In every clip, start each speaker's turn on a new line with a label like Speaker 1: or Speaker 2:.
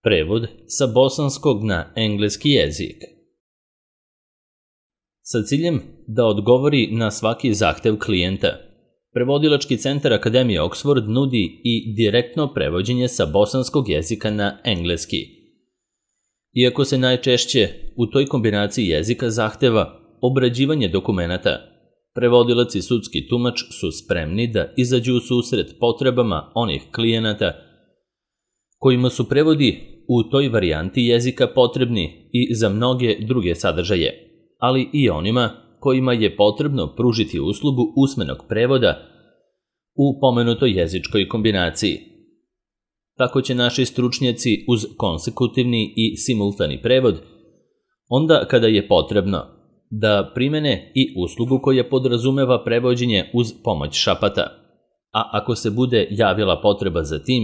Speaker 1: Prevod sa bosanskog na engleski jezik. Sa ciljem da odgovori na svaki zahtev klijenta, Prevodilački centar Akademije Oxford nudi i direktno prevođenje sa bosanskog jezika na engleski. Iako se najčešće u toj kombinaciji jezika zahteva obrađivanje dokumenata, prevodilac i sudski tumač su spremni da izađu u susret potrebama onih klijenata kojima su prevodi u toj varijanti jezika potrebni i za mnoge druge sadržaje, ali i onima kojima je potrebno pružiti uslugu usmenog prevoda u pomenutoj jezičkoj kombinaciji. Tako će naši stručnjaci uz konsekutivni i simultani prevod, onda kada je potrebno, da primene i uslugu koja podrazumeva prevođenje uz pomoć šapata, a ako se bude javila potreba za tim,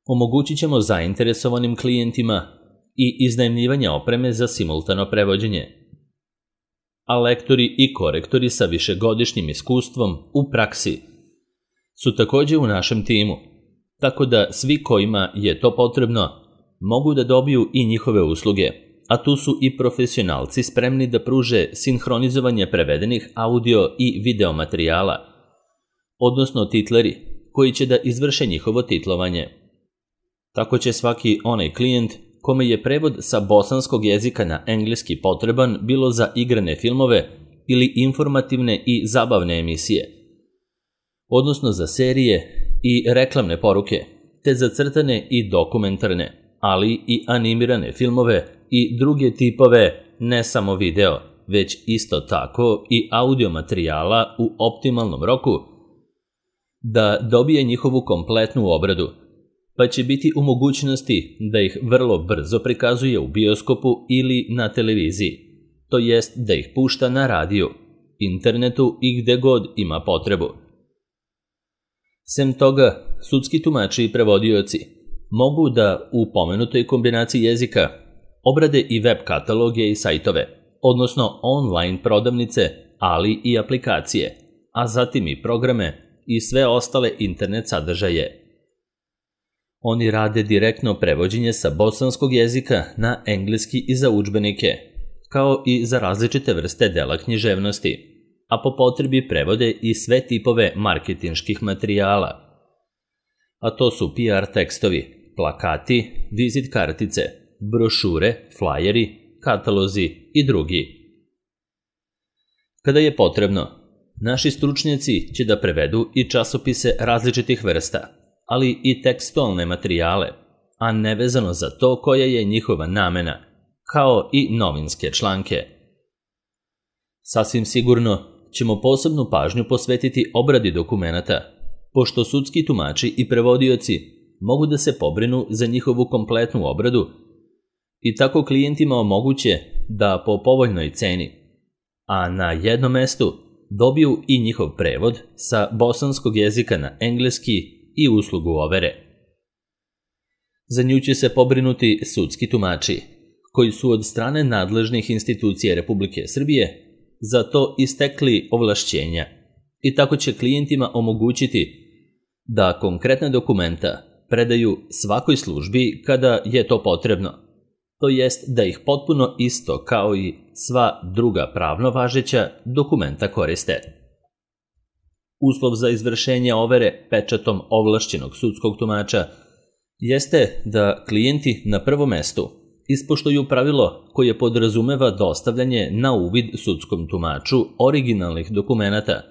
Speaker 1: omogućit ćemo zainteresovanim klijentima i iznajmljivanje opreme za simultano prevođenje. A lektori i korektori sa višegodišnjim iskustvom u praksi su također u našem timu, tako da svi kojima je to potrebno mogu da dobiju i njihove usluge, a tu su i profesionalci spremni da pruže sinhronizovanje prevedenih audio i video materijala, odnosno titleri koji će da izvrše njihovo titlovanje. Tako će svaki onaj klijent kome je prevod sa bosanskog jezika na engleski potreban bilo za igrane filmove ili informativne i zabavne emisije, odnosno za serije i reklamne poruke, te za crtane i dokumentarne, ali i animirane filmove i druge tipove ne samo video, već isto tako i audio materijala u optimalnom roku, da dobije njihovu kompletnu obradu, pa će biti u mogućnosti da ih vrlo brzo prikazuje u bioskopu ili na televiziji, to jest da ih pušta na radiju, internetu i gde god ima potrebu. Sem toga, sudski tumači i prevodioci mogu da u pomenutoj kombinaciji jezika obrade i web kataloge i sajtove, odnosno online prodavnice, ali i aplikacije, a zatim i programe i sve ostale internet sadržaje. Oni rade direktno prevođenje sa bosanskog jezika na engleski i za udžbenike, kao i za različite vrste dela književnosti, a po potrebi prevode i sve tipove marketinških materijala. A to su PR tekstovi, plakati, vizit kartice, brošure, flajeri, katalozi i drugi. Kada je potrebno, naši stručnjaci će da prevedu i časopise različitih vrsta, ali i tekstualne materijale, a nevezano za to koja je njihova namena, kao i novinske članke. Sasvim sigurno ćemo posebnu pažnju posvetiti obradi dokumenata, pošto sudski tumači i prevodioci mogu da se pobrinu za njihovu kompletnu obradu i tako klijentima omoguće da po povoljnoj ceni, a na jednom mestu dobiju i njihov prevod sa bosanskog jezika na engleski i uslugu overe. Za nju će se pobrinuti sudski tumači, koji su od strane nadležnih institucija Republike Srbije za to istekli ovlašćenja i tako će klijentima omogućiti da konkretne dokumenta predaju svakoj službi kada je to potrebno, to jest da ih potpuno isto kao i sva druga pravno važeća dokumenta koriste. Uslov za izvršenje overe pečatom ovlašćenog sudskog tumača jeste da klijenti na prvom mestu ispoštuju pravilo koje podrazumeva dostavljanje na uvid sudskom tumaču originalnih dokumenata,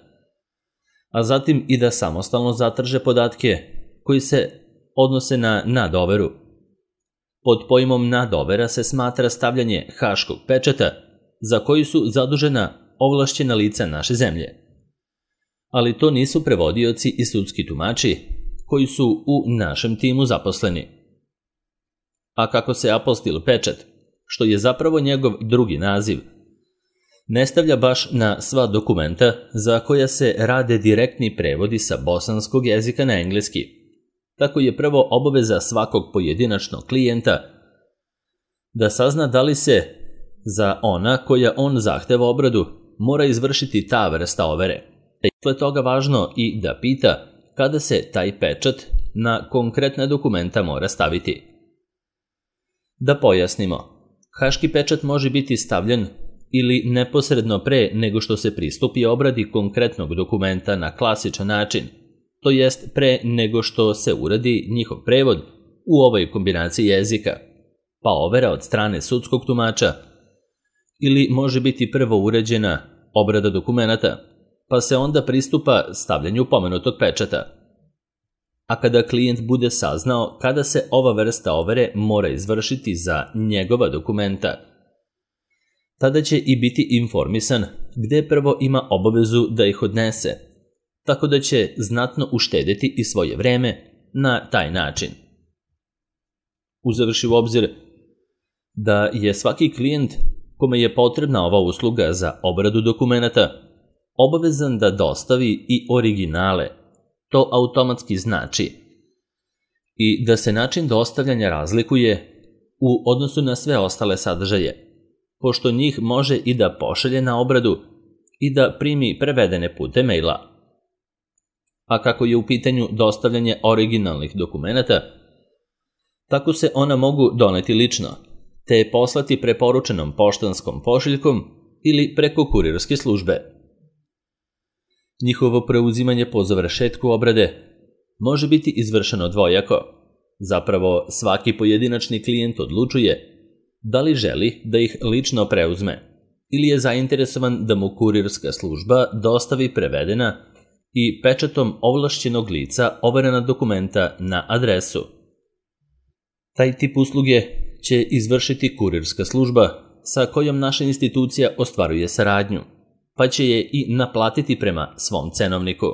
Speaker 1: a zatim i da samostalno zatraže podatke koji se odnose na nadoveru. Pod pojmom nadovera se smatra stavljanje haškog pečata za koji su zadužena ovlašćena lica naše zemlje. Ali to nisu prevodioci i sudski tumači koji su u našem timu zaposleni. A kako se apostil pečat, što je zapravo njegov drugi naziv, ne stavlja baš na sva dokumenta za koja se rade direktni prevodi sa bosanskog jezika na engleski, tako je prvo obaveza svakog pojedinačnog klijenta da sazna da li se za ona koja on zahteva obradu mora izvršiti ta vrsta overe. Posle toga važno i da pita kada se taj pečat na konkretna dokumenta mora staviti. Da pojasnimo, haški pečat može biti stavljen ili neposredno pre nego što se pristupi obradi konkretnog dokumenta na klasičan način, to jest pre nego što se uradi njihov prevod u ovoj kombinaciji jezika, pa overa od strane sudskog tumača, ili može biti prvo urađena obrada dokumenata, pa se onda pristupa stavljanju pomenutog pečata. A kada klijent bude saznao kada se ova vrsta overe mora izvršiti za njegova dokumenta, tada će i biti informisan gde prvo ima obavezu da ih odnese, tako da će znatno uštedeti i svoje vreme na taj način. Uzevši u obzir da je svaki klijent kome je potrebna ova usluga za obradu dokumenata obavezan da dostavi i originale, to automatski znači i da se način dostavljanja razlikuje u odnosu na sve ostale sadržaje, pošto njih može i da pošalje na obradu i da primi prevedene putem maila. A kako je u pitanju dostavljanje originalnih dokumenata, tako se ona mogu doneti lično, te poslati preporučenom poštanskom pošiljkom ili preko kurirske službe. Njihovo preuzimanje po završetku obrade može biti izvršeno dvojako. Zapravo, svaki pojedinačni klijent odlučuje da li želi da ih lično preuzme ili je zainteresovan da mu kurirska služba dostavi prevedena i pečatom ovlašćenog lica overena dokumenta na adresu. Taj tip usluge će izvršiti kurirska služba sa kojom naša institucija ostvaruje saradnju, pa će je i naplatiti prema svom cenovniku.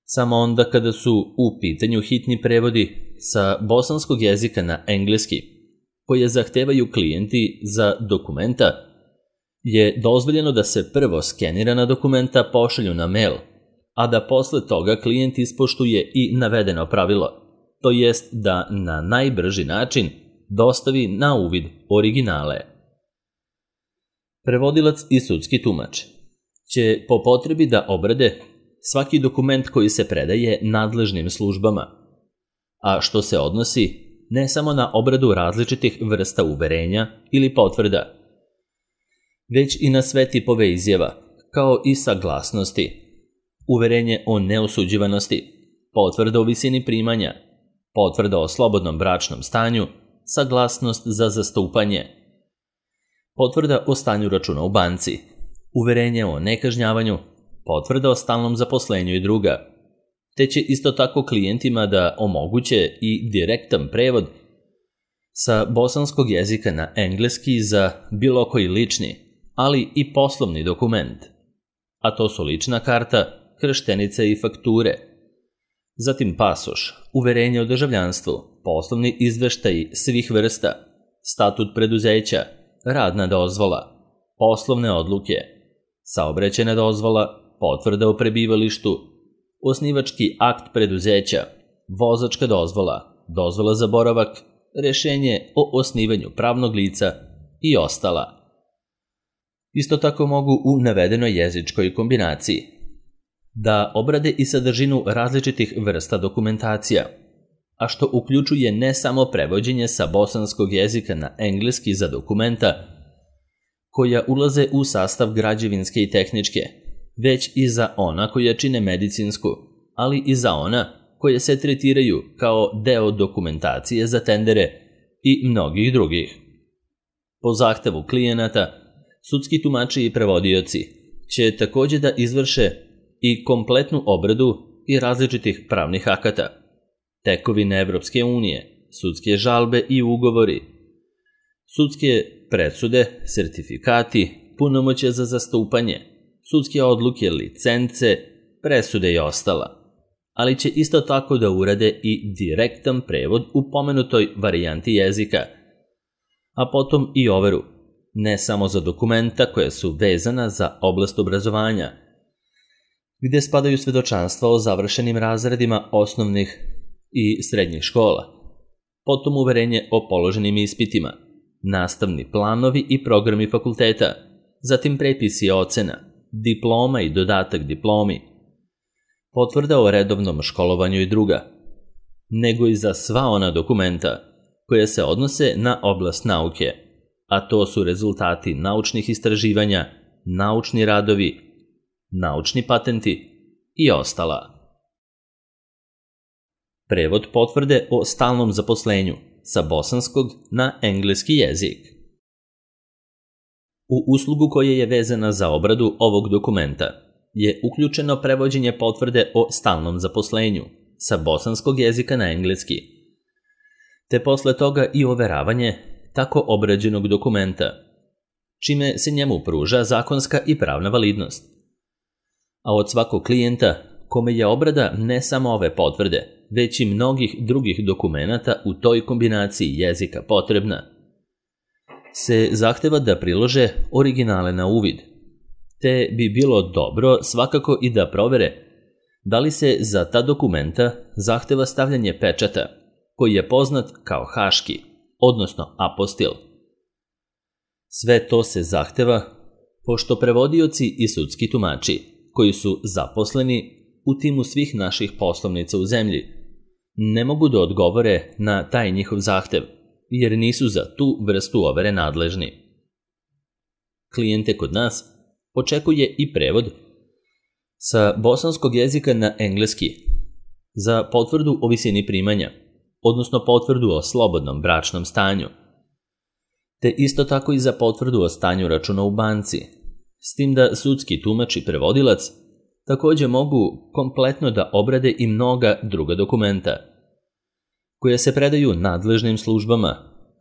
Speaker 1: Samo onda kada su u pitanju hitni prevodi sa bosanskog jezika na engleski, koje zahtevaju klijenti za dokumenta, je dozvoljeno da se prvo skenirana dokumenta pošalju na mail, a da posle toga klijent ispoštuje i navedeno pravilo, to jest da na najbrži način dostavi na uvid originale. Prevodilac i sudski tumač će po potrebi da obrade svaki dokument koji se predaje nadležnim službama, a što se odnosi ne samo na obradu različitih vrsta uverenja ili potvrda, već i na sve tipove izjava, kao i saglasnosti, uverenje o neosuđivanosti, potvrda o visini primanja, potvrda o slobodnom bračnom stanju, saglasnost za zastupanje, potvrda o stanju računa u banci, uverenje o nekažnjavanju, potvrda o stalnom zaposlenju i druga, te će isto tako klijentima da omoguće i direktan prevod sa bosanskog jezika na engleski za bilo koji lični, ali i poslovni dokument, a to su lična karta, krštenice i fakture, zatim pasoš, uverenje o državljanstvu, poslovni izveštaji svih vrsta, statut preduzeća, radna dozvola, poslovne odluke, saobraćajna dozvola, potvrda o prebivalištu, osnivački akt preduzeća, vozačka dozvola, dozvola za boravak, rešenje o osnivanju pravnog lica i ostala. Isto tako mogu u navedenoj jezičkoj kombinaciji da obrade i sadržinu različitih vrsta dokumentacija, a što uključuje ne samo prevođenje sa bosanskog jezika na engleski za dokumenta koja ulaze u sastav građevinske i tehničke, već i za ona koja čine medicinsku, ali i za ona koje se tretiraju kao deo dokumentacije za tendere i mnogih drugih. Po zahtevu klijenata, sudski tumači i prevodioci će takođe da izvrše i kompletnu obradu i različitih pravnih akata, tekovine Evropske unije, sudske žalbe i ugovori, sudske presude, sertifikati, punomoćja za zastupanje, sudske odluke, licence, presude i ostala, ali će isto tako da urade i direktan prevod u pomenutoj varijanti jezika, a potom i overu, ne samo za dokumenta koja su vezana za oblast obrazovanja, gde spadaju svedočanstva o završenim razredima osnovnih i srednjih škola, potom uverenje o položenim ispitima, nastavni planovi i programi fakulteta, zatim prepisi ocena, diploma i dodatak diplomi, potvrda o redovnom školovanju i druga, nego i za sva ona dokumenta koje se odnose na oblast nauke, a to su rezultati naučnih istraživanja, naučni radovi, naučni patenti i ostala. Prevod potvrde o stalnom zaposlenju sa bosanskog na engleski jezik. U uslugu koja je vezana za obradu ovog dokumenta je uključeno prevođenje potvrde o stalnom zaposlenju sa bosanskog jezika na engleski, te posle toga i overavanje tako obrađenog dokumenta, čime se njemu pruža zakonska i pravna validnost. A od svakog klijenta kome je obrada ne samo ove potvrde, već i mnogih drugih dokumenata u toj kombinaciji jezika potrebna, se zahteva da prilože originale na uvid, te bi bilo dobro svakako i da provere da li se za ta dokumenta zahteva stavljanje pečata, koji je poznat kao haški, odnosno apostil. Sve to se zahteva pošto prevodioci i sudski tumači, koji su zaposleni u timu svih naših poslovnica u zemlji, ne mogu da odgovore na taj njihov zahtev, jer nisu za tu vrstu overe nadležni. Klijente kod nas očekuje i prevod sa bosanskog jezika na engleski za potvrdu o visini primanja, odnosno potvrdu o slobodnom bračnom stanju, te isto tako i za potvrdu o stanju računa u banci, s tim da sudski tumač i prevodilac takođe mogu kompletno da obrade i mnoga druga dokumenta, koje se predaju nadležnim službama,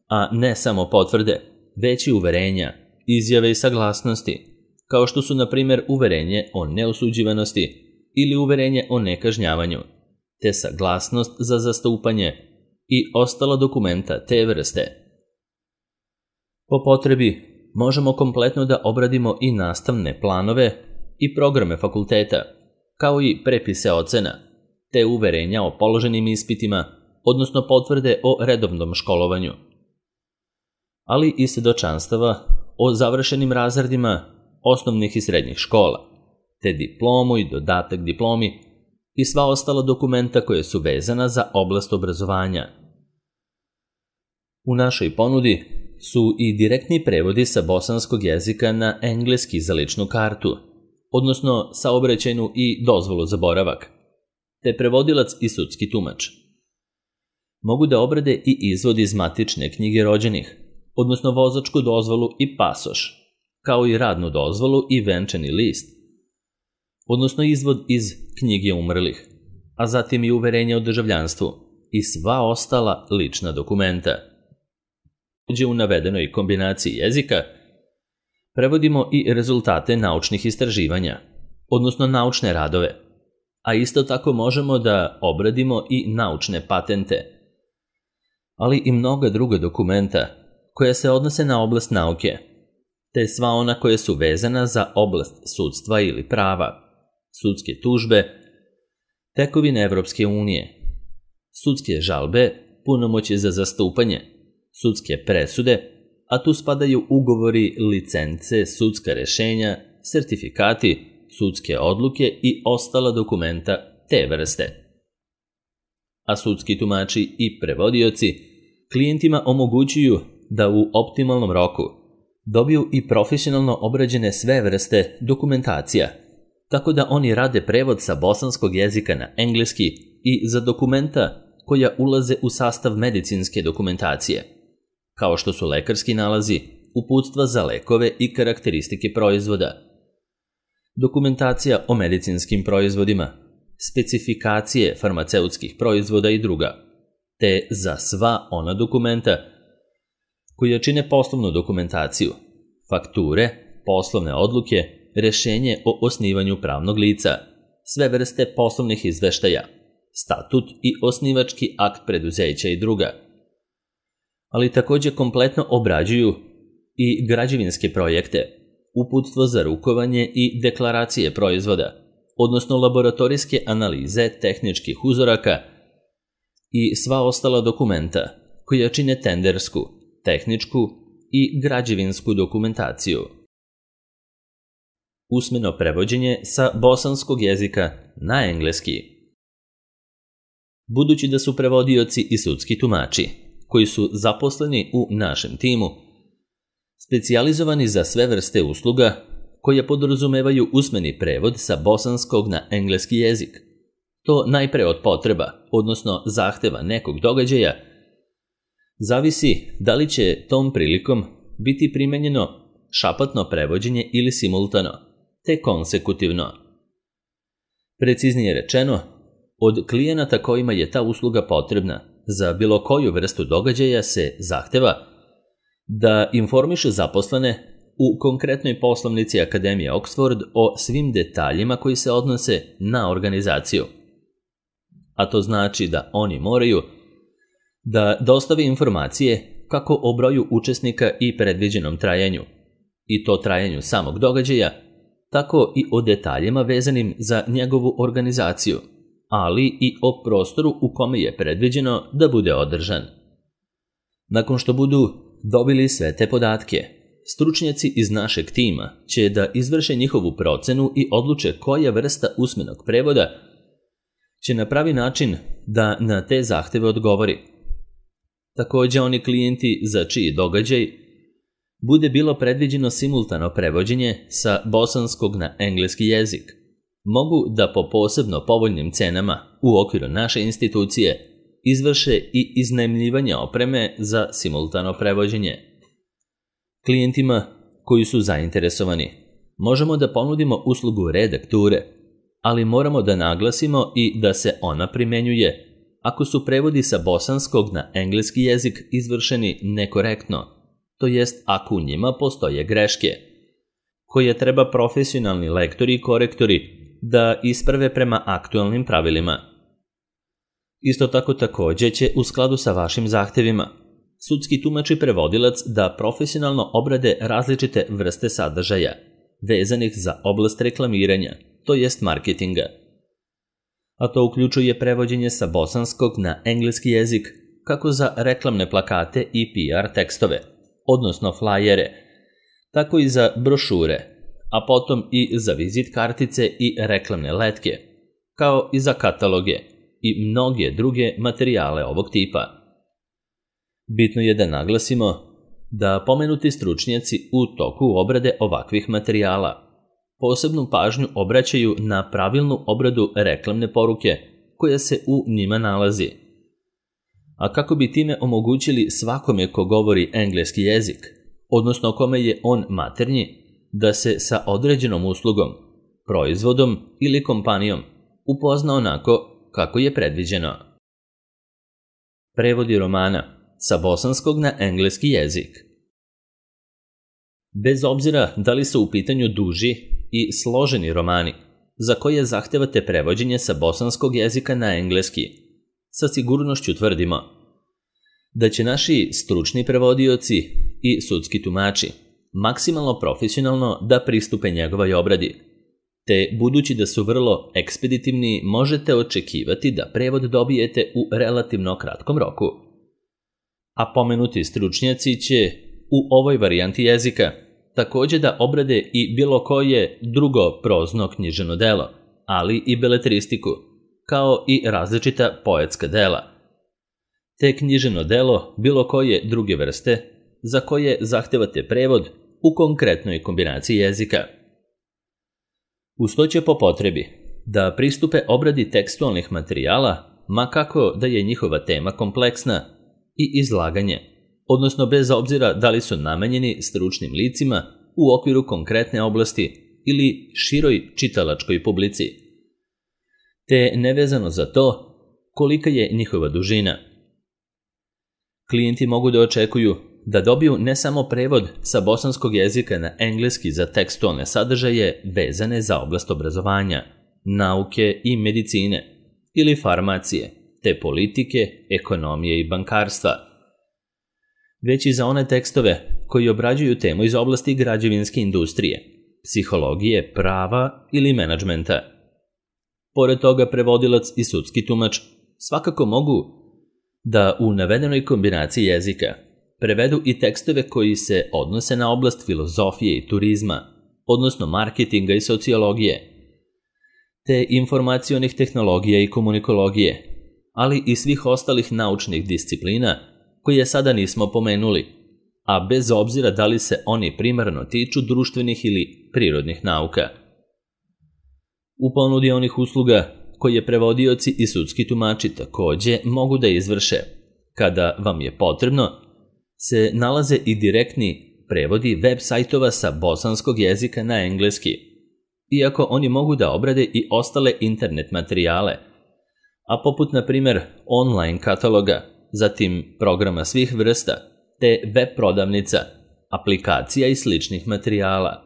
Speaker 1: a ne samo potvrde, već i uverenja, izjave i saglasnosti, kao što su, na primjer, uverenje o neosuđivanosti ili uverenje o nekažnjavanju, te saglasnost za zastupanje i ostala dokumenta te vrste. Po potrebi možemo kompletno da obradimo i nastavne planove i programe fakulteta, kao i prepise ocena, te uverenja o položenim ispitima, odnosno potvrde o redovnom školovanju, ali i svedočanstava o završenim razredima osnovnih i srednjih škola, te diplomu i dodatak diplomi i sva ostala dokumenta koje su vezana za oblast obrazovanja. U našoj ponudi su i direktni prevodi sa bosanskog jezika na engleski za ličnu kartu, odnosno saobraćajnu i dozvolu za boravak, te prevodilac i sudski tumač. Mogu da obrade i izvod iz matične knjige rođenih, odnosno vozačku dozvolu i pasoš, kao i radnu dozvolu i venčani list, odnosno izvod iz knjige umrlih, a zatim i uverenje o državljanstvu i sva ostala lična dokumenta. U navedenoj kombinaciji jezika prevodimo i rezultate naučnih istraživanja, odnosno naučne radove, a isto tako možemo da obradimo i naučne patente, ali i mnoga druga dokumenta koja se odnose na oblast nauke, te sva ona koja su vezana za oblast sudstva ili prava, sudske tužbe, tekovine Evropske unije, sudske žalbe, punomoćje za zastupanje, sudske presude, a tu spadaju ugovori, licence, sudska rešenja, sertifikati, sudske odluke i ostala dokumenta te vrste. A sudski tumači i prevodioci klijentima omogućuju da u optimalnom roku dobiju i profesionalno obrađene sve vrste dokumentacija, tako da oni rade prevod sa bosanskog jezika na engleski i za dokumenta koja ulaze u sastav medicinske dokumentacije, kao što su lekarski nalazi, uputstva za lekove i karakteristike proizvoda, dokumentacija o medicinskim proizvodima, specifikacije farmaceutskih proizvoda i druga, te za sva ona dokumenta koja čine poslovnu dokumentaciju, fakture, poslovne odluke, rešenje o osnivanju pravnog lica, sve vrste poslovnih izveštaja, statut i osnivački akt preduzeća i druga, ali takođe kompletno obrađuju i građevinske projekte, uputstvo za rukovanje i deklaracije proizvoda, odnosno laboratorijske analize tehničkih uzoraka i sva ostala dokumenta koja čine tendersku, tehničku i građevinsku dokumentaciju. Usmeno prevođenje sa bosanskog jezika na engleski. Budući da su prevodioci i sudski tumači, koji su zaposleni u našem timu, specijalizovani za sve vrste usluga koje podrazumevaju usmeni prevod sa bosanskog na engleski jezik. To najpre od potreba, odnosno zahteva nekog događaja, zavisi da li će tom prilikom biti primenjeno šapatno prevođenje ili simultano, te konsekutivno. Preciznije rečeno, od klijenata kojima je ta usluga potrebna za bilo koju vrstu događaja se zahteva da informiše zaposlene u konkretnoj poslovnici Akademije Oxford o svim detaljima koji se odnose na organizaciju. A to znači da oni moraju da dostave informacije kako o broju učesnika i predviđenom trajanju, i to trajanju samog događaja, tako i o detaljima vezanim za njegovu organizaciju, ali i o prostoru u kome je predviđeno da bude održan. Nakon što budu dobili sve te podatke, stručnjaci iz našeg tima će da izvrše njihovu procenu i odluče koja vrsta usmenog prevoda će na pravi način da na te zahteve odgovori. Također oni klijenti za čiji događaj bude bilo predviđeno simultano prevođenje sa bosanskog na engleski jezik, mogu da po posebno povoljnim cenama u okviru naše institucije izvrše i iznajmljivanje opreme za simultano prevođenje. Klijentima koji su zainteresovani možemo da ponudimo uslugu redakture, ali moramo da naglasimo i da se ona primenjuje ako su prevodi sa bosanskog na engleski jezik izvršeni nekorektno, to jest ako u njima postoje greške, koje treba profesionalni lektori i korektori da isprave prema aktualnim pravilima. Isto tako također će u skladu sa vašim zahtevima sudski tumač i prevodilac da profesionalno obrade različite vrste sadržaja vezanih za oblast reklamiranja, to jest marketinga. A to uključuje prevođenje sa bosanskog na engleski jezik kako za reklamne plakate i PR tekstove, odnosno flajere, tako i za brošure, a potom i za vizit kartice i reklamne letke, kao i za kataloge i mnoge druge materijale ovog tipa. Bitno je da naglasimo da pomenuti stručnjaci u toku obrade ovakvih materijala posebnu pažnju obraćaju na pravilnu obradu reklamne poruke koja se u njima nalazi. A kako bi time omogućili svakome ko govori engleski jezik, odnosno kome je on maternji, da se sa određenom uslugom, proizvodom ili kompanijom upozna onako kako je predviđeno. Prevodi romana sa bosanskog na engleski jezik. Bez obzira da li su u pitanju duži i složeni romani, za koje zahtevate prevođenje sa bosanskog jezika na engleski, sa sigurnošću tvrdimo da će naši stručni prevodioci i sudski tumači maksimalno profesionalno da pristupe njegovoj obradi, te budući da su vrlo ekspeditivni možete očekivati da prevod dobijete u relativno kratkom roku. A pomenuti stručnjaci će u ovoj varijanti jezika također da obrade i bilo koje drugo prozno književno delo, ali i beletristiku, kao i različita poetska dela, te književno delo bilo koje druge vrste za koje zahtevate prevod u konkretnoj kombinaciji jezika. Uz to će po potrebi da pristupe obradi tekstualnih materijala, ma kako da je njihova tema kompleksna, i izlaganje, odnosno bez obzira da li su namenjeni stručnim licima u okviru konkretne oblasti ili široj čitalačkoj publici, te nevezano za to kolika je njihova dužina. Klijenti mogu da očekuju da dobiju ne samo prevod sa bosanskog jezika na engleski za tekstualne sadržaje vezane za oblast obrazovanja, nauke i medicine ili farmacije, te politike, ekonomije i bankarstva, već i za one tekstove koji obrađuju temu iz oblasti građevinske industrije, psihologije, prava ili menadžmenta. Pored toga, prevodilac i sudski tumač svakako mogu da u navedenoj kombinaciji jezika prevedu i tekstove koji se odnose na oblast filozofije i turizma, odnosno marketinga i sociologije, te informacionih tehnologija i komunikologije, ali i svih ostalih naučnih disciplina koje sada nismo pomenuli, a bez obzira da li se oni primarno tiču društvenih ili prirodnih nauka. U ponudi onih usluga koje prevodioci i sudski tumači takođe mogu da izvrše, kada vam je potrebno, se nalaze i direktni prevodi web sajtova sa bosanskog jezika na engleski, iako oni mogu da obrade i ostale internet materijale, a poput, na primer, online kataloga, zatim programa svih vrsta, te web prodavnica, aplikacija i sličnih materijala.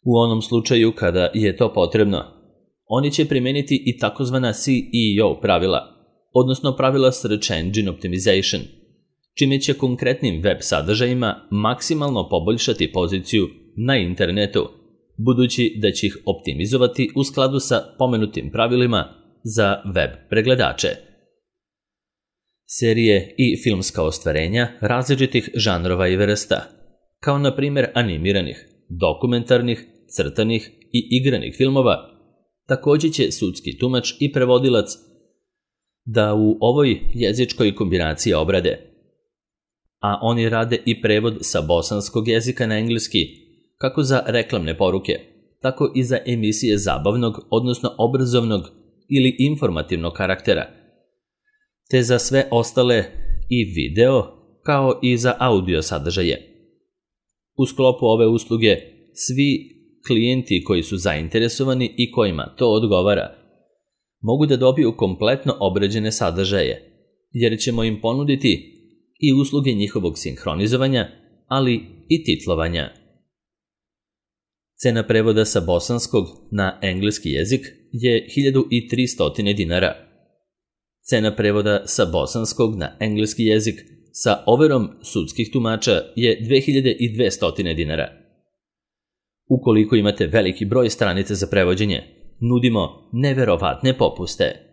Speaker 1: U onom slučaju kada je to potrebno, oni će primeniti i takozvana SEO pravila, odnosno pravila Search Engine Optimization, čime će konkretnim web sadržajima maksimalno poboljšati poziciju na internetu, budući da će ih optimizovati u skladu sa pomenutim pravilima za web pregledače. Serije i filmska ostvarenja različitih žanrova i vrsta, kao na primjer animiranih, dokumentarnih, crtanih i igranih filmova, takođe će sudski tumač i prevodilac da u ovoj jezičkoj kombinaciji obrade, a oni rade i prevod sa bosanskog jezika na engleski, kako za reklamne poruke, tako i za emisije zabavnog, odnosno obrazovnog ili informativnog karaktera, te za sve ostale i video, kao i za audio sadržaje. U sklopu ove usluge, svi klijenti koji su zainteresovani i kojima to odgovara, mogu da dobiju kompletno obrađene sadržaje, jer ćemo im ponuditi i usluge njihovog sinhronizovanja, ali i titlovanja. Cena prevoda sa bosanskog na engleski jezik je 1300 dinara. Cena prevoda sa bosanskog na engleski jezik sa overom sudskih tumača je 2200 dinara. Ukoliko imate veliki broj stranica za prevođenje, nudimo neverovatne popuste.